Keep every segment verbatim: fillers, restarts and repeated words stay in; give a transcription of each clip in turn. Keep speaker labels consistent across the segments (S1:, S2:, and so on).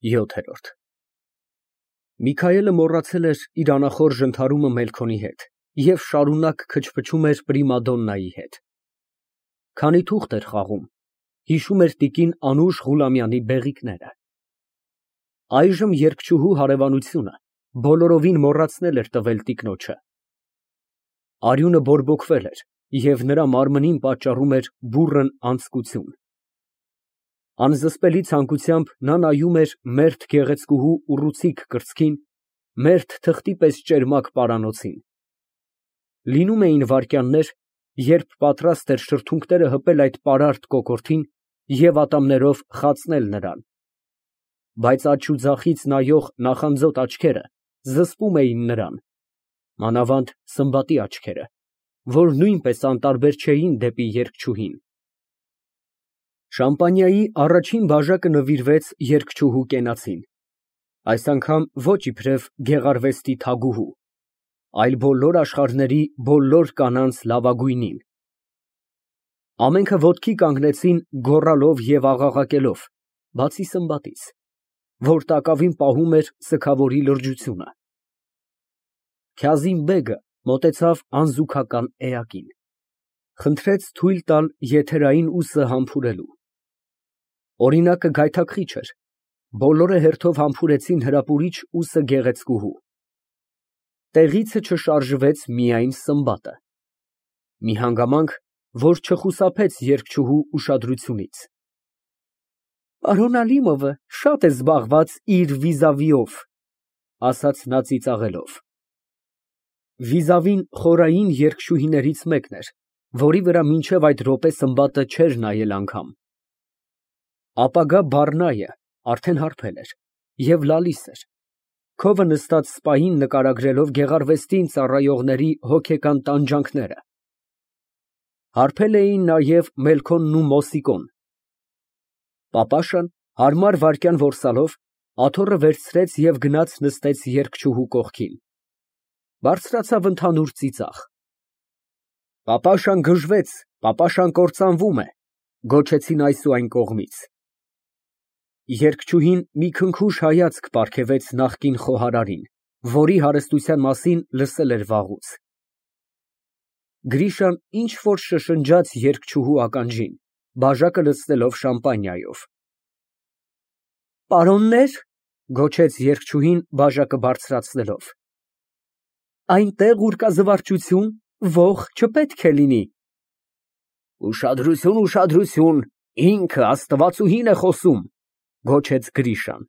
S1: ՅՈԹԵՐՈՐԴ Միքայելը մոռացել էր իր անախորժ ընդհարումը Մելքոնի հետ և շարունակ քչփչում էր պրիմադոննայի հետ։ Քանի թուղթ էր խաղում, հիշում էր տիկին Անուշ Ղուլամյանի բեղիկները։ Այժմ երգչուհու հարևանությունը բոլորովին մոռացնել էր տվել տիկնոջը։ Արյունը բորբոքվել էր և նրա մարմնին պատճառում էր բուռն անձկություն։ Անզսպելի ցանկությամբ նա նայում էր մերթ գեղեցկուհու ուռուցիկ կրծքին, մերթ թղթի պես ճերմակ պարանոցին։ Լինում էին վայրկյաններ, երբ պատրաստ էր շրթունքները հպել այդ պարարտ կոկորդին և ատամներով խացնել նրան, բայց աջ ու ձախից նայող նախանձոտ աչքերը զսպում էին նրան, մանավանդ Սմբատի աչքերը, որ նույնպես անտարբեր չէին դեպի երգչուհին։ Շամպանիայի առաջին բաժակը նվիրվեց երգչուհու կենացին, այս անգամ ոչ իբրև գեղարվեստի թագուհու, այլ բոլոր աշխարհների բոլոր կանանց լավագույնին։ Ամենքը ոտքի կանգնեցին գոռալով և աղաղակելով, բացի Սմբատից, որ տակավին պահում էր սգավորի լրջությունը։ Քազիմ֊բեգը մոտեցավ անզուգական էակին, խնդրեց թույլ տալ եթերային ուսը համբուրելու։ Օրինակը գայթակղիչ էր, բոլորը հերթով համբուրեցին հրապուրիչ ուսը գեղեցկուհու։ Տեղիցը չշարժվեց միայն Սմբատը, մի հանգամանք, որ չխուսափեց երգչուհու ուշադրությունից։ Պարոն Ալիմովը շատ է զբաղված իր վիզավիով, ասաց նա ծիծաղելով։ Վիզավին խորային երգչուհիներից մեկն էր, որի վրա մինչև այդ րոպե Սմբատը չէր նայել անգամ։ Ապագա բառնայը արդեն հարբել էր և լալիս էր, քովը նստած սպային նկարագրելով գեղարվեստին ծառայողների հոգեկան տանջանքները։ Հարբել էին նաև Մելքոնն ու Մոսիկոն։ Պապաշան հարմար վայրկյան որսալով աթոռը վերցրեց և գնաց նստեց երգչուհու կողքին։ Բարձրացավ ընդհանուր ծիծաղ։ Պապաշան գժվեց, պապաշան կործանվում է, գոչեցին այս ու այն կողմից։ Երգչուհին մի քնքուշ հայացք պարգևեց նախկին խոհարարին, որի հարստության մասին լսել էր վաղուց։ Գրիշան ինչ֊որ շշնջաց երգչուհու ականջին, բաժակը լցնելով շամպանիայով։ Պարոննե՞ր, գոչեց երգչուհին բաժակը բարձրացնելով։ Այնտեղ, ուր կա զվարճություն, ոխ չպետք է լինի։ Ուշադրություն, ուշադրություն, ինքը աստվածուհին է խոսում, գոչեց Գրիշան։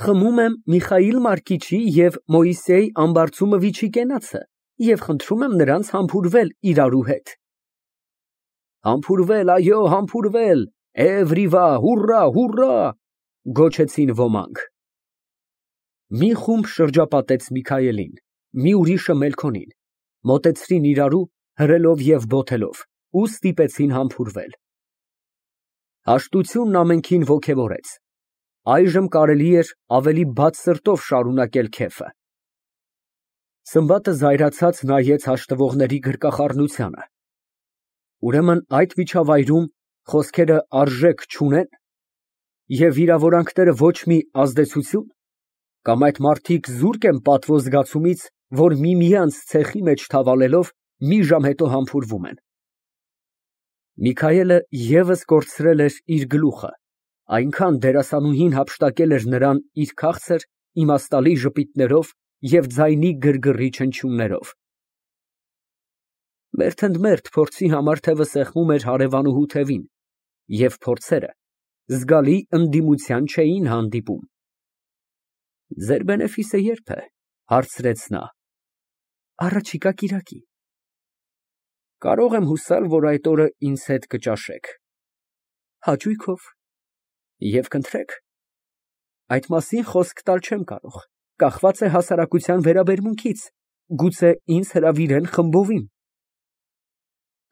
S1: Խմում եմ Միխայիլ Մարկիչի և Մոյսեյ Ամբարձումովիչի կենացը և խնդրում եմ նրանց համբուրվել իրարու հետ։ Համբուրվել, այո, համբուրվել, էվրիվա, հուռա, հուռա, գոչեցին ոմանք։ Մի խումբ շրջապատեց Միքայելին, մի ուրիշը Մելքոնին, մոտեցրին իրարու, հրելով և բոթելով, ու ստիպեցին համբուրվել։ Հաշտությունն ամենքին ոգևորեց, այժմ կարելի էր ավելի բաց սրտով շարունակել քեֆը։ Սմբատը զայրացած նայեց հաշտվողների գրկախառնությանը։ Ուրեմն այդ միջավայրում խոսքերը արժեք չունե՞ն, և վիրավորանքները ոչ մի ազդեցությո՞ւն, կամ այդ մարդիկ զուրկ են պատվո զգացումից, որ միմյանց ցեխի մեջ թավալելով, մի ժամ հետո համբուրվում են։ Միքայելը ևս կորցրել էր իր գլուխը, այնքան դերասանուհին հափշտակել էր նրան իր քաղցր, իմաստալի ժպիտներով և ձայնի գրգռիչ հնչյուններով։ Մերթ ընդ մերթ փորձի համար թևը սեղմում էր հարևանուհու թևին, և փորձերը զգալի ընդդիմության չէին հանդիպում։ Ձեր բենեֆիսը ե՞րբ է, հարցրեց նա։ Առաջիկա կիրակի։ Կարող եմ հուսալ, որ այդ օրը ինձ հետ կճաշեք։ Հաճույքով։ Եվ կընտրեք։ Այդ մասին խոսք տալ չեմ կարող, կախված է հասարակության վերաբերմունքից, գուցե ինձ հրավիրեն խմբովին։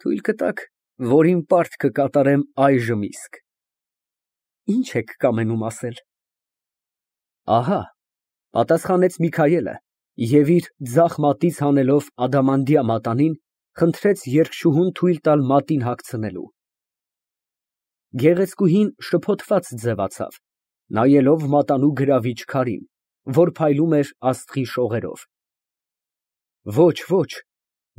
S1: Թույլ կտաք, որ իմ պարտքը կատարեմ այժմ իսկ։ Ինչ եք կամենում ասել։ Ահա, պատասխանեց Միքայելը և իր ձախ մատից հանելով ադամանդյա մատանին, խնդրեց երգչուհուն թույլ տալ մատին հագցնելու։ Գեղեցկուհին շփոթված ձևացավ, նայելով մատանու գրավիչ քարին, որ փայլում էր աստղի շողերով։ Ոչ, ոչ,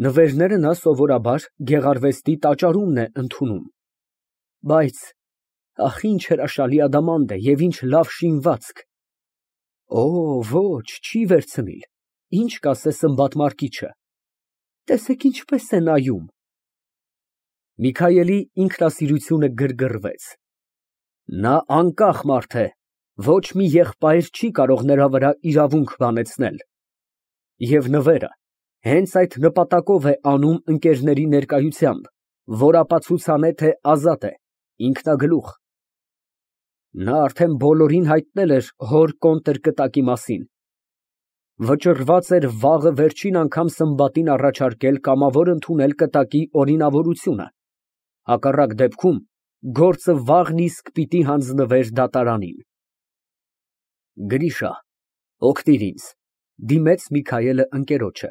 S1: նվերները նա սովորաբար գեղարվեստի տաճարումն է ընդունում, բայց ախ, ինչ հրաշալի ադամանդ է և ինչ լավ շինվածք։ Օ, ոչ, չի վերցնիլ, ինչ կասե Սմբատ Մարկիչը, տեսեք ինչպես է նայում։ Միքայելի ինքնասիրությունը գրգռվեց։ Նա անկախ մարդ է, ոչ մի եղբայր չի կարող նրա վրա իրավունք բանեցնել։ Եվ նվերը հենց այդ նպատակով է անում ընկերների ներկայությամբ, որ ապացուցանե, թե ազատ է, ինքնագլուխ։ Նա արդեն բոլորին հայտնել էր հոր կոնտրկտակի մասին։ Վճռված էր վաղը վերջին անգամ Սմբատին առաջարկել կամավոր ընդունել կտակի օրինավորությունը, հակառակ դեպքում գործը վաղն իսկ պիտի հանձնվեր դատարանին։ Գրիշա, օգնիր ինձ, դիմեց Միքայելը ընկերոջը։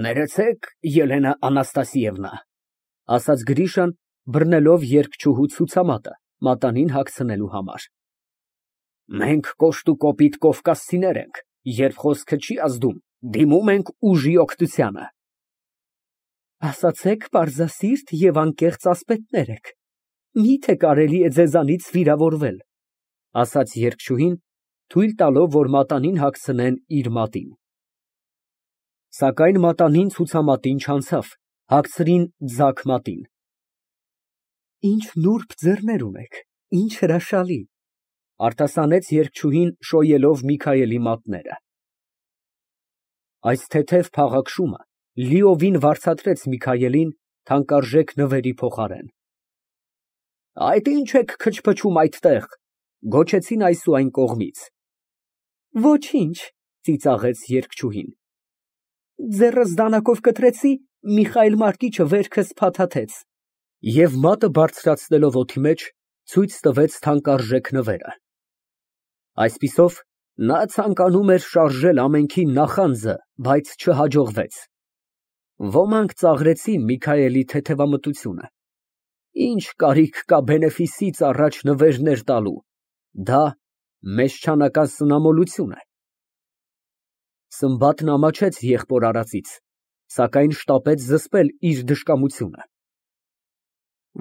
S1: Ներեցեք, Ելենա Անաստասիևնա, ասաց Գրիշան, բռնելով երգչուհու ցուցամատը մատանին հագցնելու համար։ Մենք կոշտուկոպիտ կովկասցիներ ենք, երբ խոսքը չի ազդում, դիմում ենք ուժի օգնությանը։ Ասացեք պարզասիրտ և անկեղծ ասպետներ եք, մի՞թե կարելի է ձեզանից վիրավորվել, ասաց երգչուհին, թույլ տալով, որ մատանին հագցնեն իր մատին։ Սակայն մատանին ցուցամատին չանցավ, հագցրին ձակ մատին։ Ինչ նուրբ ձեռներ ունեք, ինչ հրաշալի, արտասանեց երգչուհին շոյելով Միքայելի մատները։ Այս թեթև փաղաքշումը լիովին վարձատրեց Միքայելին թանկարժեք նվերի փոխարեն։ Այդ ինչ եք քչփչում այդտեղ, գոչեցին այս ու այն կողմից։ Ոչինչ, ծիծաղեց երգչուհին։ Ձեռս դանակով կտրեցի, Միխայել Մարկիչը վերքս փաթաթեց։ Եվ մատը բարձրացնելով օդի մեջ, ցույց տվեց թանկարժեք նվերը։ Այսպիսով, նա ցանկանում էր շարժել ամենքի նախանձը, բայց չհաջողվեց։ Ոմանք ծաղրեցին Միքայելի թեթևամտությունը։ Ինչ կարիք կա բենեֆիսից առաջ նվերներ տալու, դա մեզչանական սնամոլություն է։ Սմբատն ամաչեց եղբոր արածից, սակայն շտապեց զսպել իր դժկամությունը։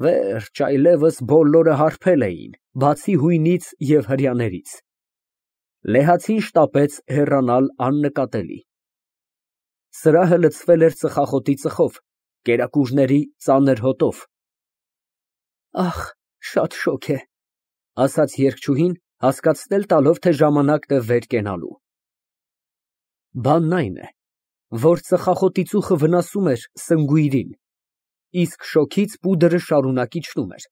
S1: Վերջ, այլևս բոլորը հարբել էին, բացի հույնից և հրեաներից։ Լեհացին շտապեց հեռանալ աննկատելի։ Սրահը լցվել էր ծխախոտի ծխով, կերակուրների ծանր հոտով։ Ախ, շատ շոգ է, ասաց երգչուհին, հասկացնել տալով, թե ժամանակն է վեր կենալու։ Բանն այն է, որ ծխախոտի ծուխը վնասում էր սնգույրին, իսկ շոգից պուդրը շարունակ իջնում էր,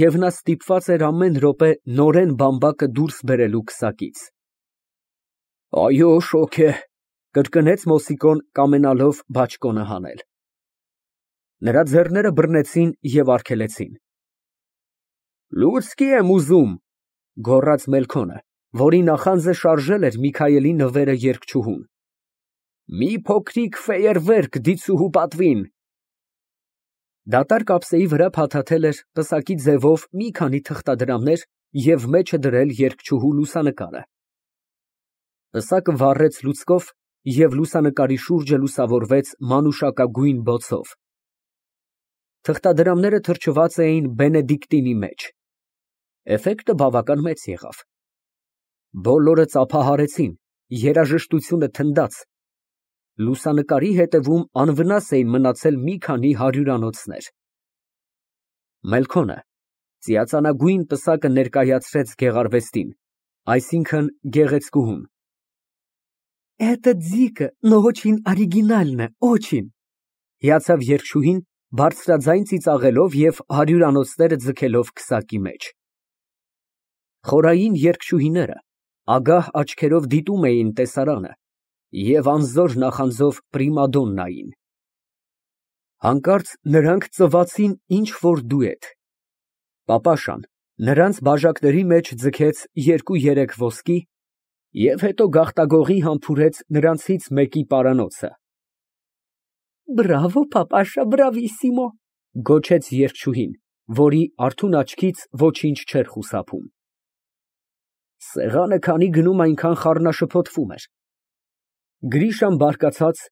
S1: և նա ստիպված էր ամեն րոպե նորեն բամբակը դուրս բերելու քսակից։ Այո, շոգ է, կրկնեց Մոսիկոն, կամենալով բաճկոնը հանել։ Նրա ձեռները բռնեցին և արգելեցին։ Լուցկի եմ ուզում, գոռաց Մելքոնը, որի նախանձը շարժել էր Միքայելի նվերը երգչուհուն։ Մի փոքրիկ ֆեյերվերկ դիցուհու պատվին։ Դատարկ ափսեի վրա փաթաթել էր պսակի ձևով մի քանի թղթադրամներ և մեջը դրել երգչուհու լուսանկարը։ Պսակը վառեց լուցկով և լուսանկարի շուրջը լուսավորվեց մանուշակագույն բոցով։ Թղթադրամները թրջված էին բենեդիկտինի մեջ։ Էֆեկտը բավական մեծ եղավ։ Բոլորը ծափահարեցին, երաժշտությունը թնդաց։ Լուսանկարի հետևում անվնաս էին մնացել մի քանի հարյուրանոցներ։ Մելքոնը ծիածանագույն պսակը ներկայացրեց գեղարվեստին, այսինքն գեղեցկուհուն։ Էտը ձիկը, նո օչին օրիգինալն է, օչին, հիացավ երգչուհին, բարձրաձայն ծիծաղելով և հարյուրանոցները ձգելով քսակի մեջ։ Խորային երգչուհիները ագահ աչքերով դիտում էին տեսարանը և անզոր նախանձով պրիմադոննային։ Հանկարծ նրանք ծվացին ինչ֊որ դուետ։ Պապաշան նրանց բաժակների մեջ ձգեց երկու֊երեք ոսկի և հետո գաղտագողի համբուրեց նրանցից մեկի պարանոցը։ Բրավո, պապաշա, բրավիսիմո, գոչեց երգչուհին, որի արթուն աչքից ոչինչ չէր խուսափում։ Սեղանը քանի գնում այնքան խառնաշփոթվում էր։ Գրիշան բարկացած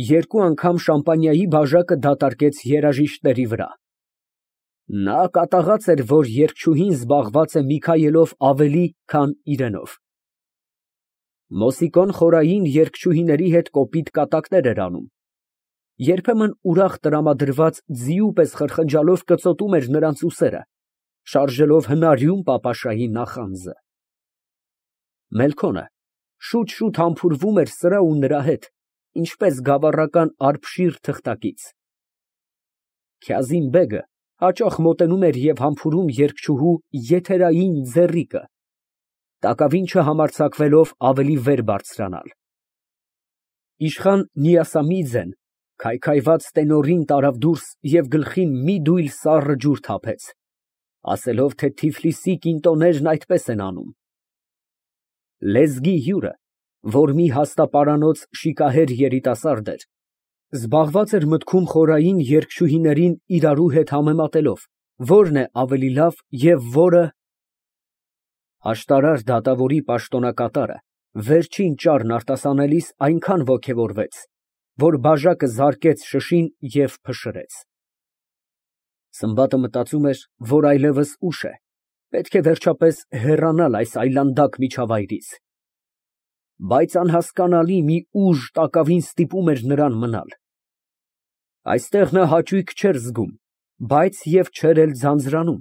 S1: երկու անգամ շամպանիայի բաժակը դատարկեց երաժիշտների վրա։ Նա կատաղած էր, որ երգչուհին զբաղված է Միքայելով ավելի, քան իրենով։ Մոսիկոն խորային երգչուհիների հետ կոպիտ կատակներ էր անում։ Երբեմն ուրախ տրամադրված ձիու պես խրխնջալով կծոտում էր նրանց ուսերը, շարժելով հնարյուն պապաշայի նախանձը։ Մելքոնը շուտ֊շուտ համբուրվում էր սրա ու նրա հետ, ինչպես գավառական արբշիր թղթակից։ Քյազիմ֊բեգը հաճախ մոտենում էր և համբուրում երգչուհու եթերային ձեռիկը, տակավին չհամարձակվելով ավելի վեր բարձրանալ։ Իշխան Նիասամիձեն քայքայված տենորին տարավ դուրս և գլխին մի դույլ սառը ջուր թափեց, ասելով, թե Թիֆլիսի կինտոներն այդպես են անում։ Լեզգի հյուրը, որ մի հաստապարանոց շիկահեր երիտասարդ էր, զբաղված էր մտքում խորային երգչուհիներին իրարու հետ համեմատելով, որն է ավելի լավ և որը… Աշտարար դատավորի պաշտոնակատարը վերջին ճառն արտասանելիս այնքան ոգևորվեց, որ բաժակը զարկեց շշին և փշրեց։ Սմբատը մտածում էր, որ այլևս ուշ է, պետք է վերջապես հեռանալ այս այլանդակ միջավայրից, բայց անհասկանալի մի ուժ տակավին ստիպում էր նրան մնալ։ Այստեղ նա հաճույք չէր զգում, բայց և չէր էլ ձանձրանում։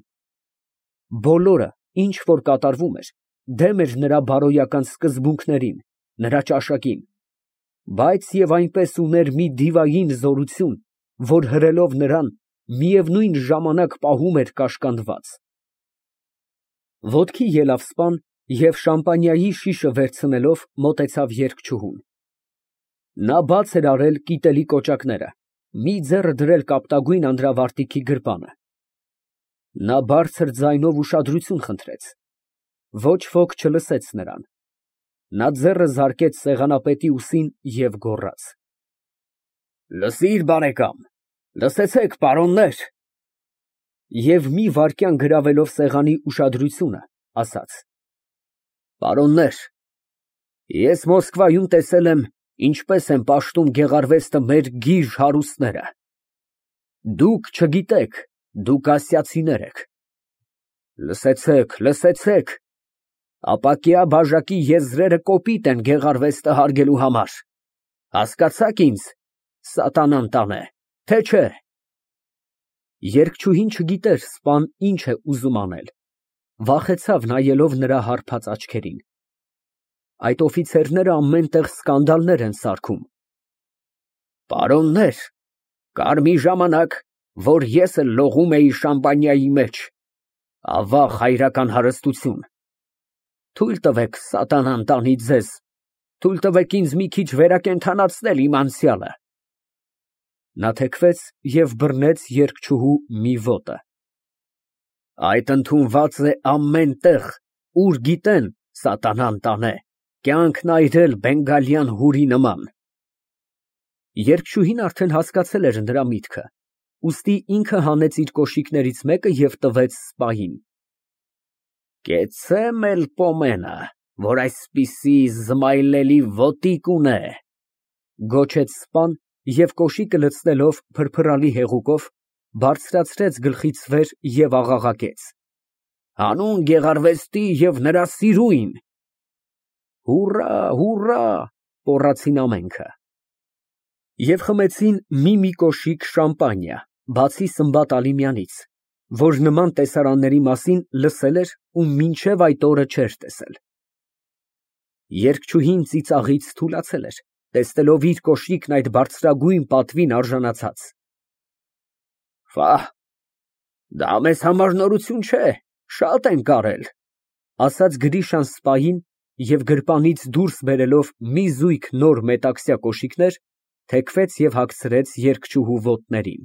S1: Բոլորը, ինչ որ կատարվում էր, դեմ էր նրա բարոյական սկզբունքներին, նրա ճաշակին, բայց և այնպես ուներ մի դիվային զորություն, որ հրելով նրան, միևնույն ժամանակ պահում էր կաշկանդված։ Ոտքի ելավ սպան և շամպանիայի շիշը վերցնելով մոտեցավ երգչուհուն։ Նա բաց էր արել կիտելի կոճակները, մի ձեռը դրել կապտագույն անդրավարտիքի գրպանը։ Նա բարձր ձայնով ուշադրություն խնդրեց։ Ոչ ոք չլսեց նրան։ Նա ձեռը զարկեց սեղանապետի ուսին և գոռաց. «Լսիր, բարեկամ, լսեցեք, պարոններ»։ Եվ մի վայրկյան գրավելով սեղանի ուշադրությունը, ասաց. «Պարոններ, ես Մոսկվայում տեսել եմ, ինչպես են պաշտում գեղարվեստը մեր գիժ հարուստները։ Դուք չգիտեք, դուք ասիացիներ եք։ Լսեցեք, լսեցեք, ապակյա բաժակի եզրերը կոպիտ են գեղարվեստը հարգելու համար, հասկացա՞ք ինձ, սատանան տանե, թե չէ»։ Երգչուհին չգիտեր սպան ինչ է ուզում անել, վախեցավ նայելով նրա հարբած աչքերին։ Այդ օֆիցերները ամեն տեղ սկանդալներ են սարքում։ Պարոններ, կար մի ժամանակ, որ ես էլ լողում էի շամպանիայի մեջ, ավաղ հայրական հարստություն։ Թույլ տվեք, սատանան տանի ձեզ, թույլ տվեք ինձ մի քիչ վերակենդանացնել իմ անցյալը։ Նա թեքվեց և բռնեց երգչուհու մի ոտը։ Այդ ընդունված է ամեն տեղ, ուր գիտեն, սատանան տանե, կյանքն այրել բենգալյան հուրի նման։ Երգչուհին արդեն հասկացել էր նրա միտքը, ուստի ինքը հանեց իր կոշիկներից մեկը և տվեց սպային։ Կեցցե Մելպոմենը, որ այսպիսի զմայլելի ոտիկ ունե, գոչեց սպան և կոշիկը լցնելով փրփրալի հեղուկով, բարձրացրեց գլխից վեր և աղաղակեց. Հանուն գեղարվեստի և նրա սիրուին։ Հուռա, հուռա, կոռացին ամենքը։ Եվ խմեցին մի֊մի կոշիկ շամպանիա, բացի Սմբատ Ալիմյանից, որ նման տեսարանների մասին լսել էր ու մինչև այդ օրը չէր տեսել։ Երգչուհին ծիծաղից թուլացել էր, տեսնելով իր կոշիկն այդ բարձրագույն պատվին արժանացած։ Ֆահ, դա մեզ համար նորություն չէ, շատ ենք արել, ասաց Գրիշան սպային և գրպանից դուրս բերելով մի զույգ նոր մետաքսյա կոշիկներ, թեքվեց և հագցրեց երգչուհու ոտներին։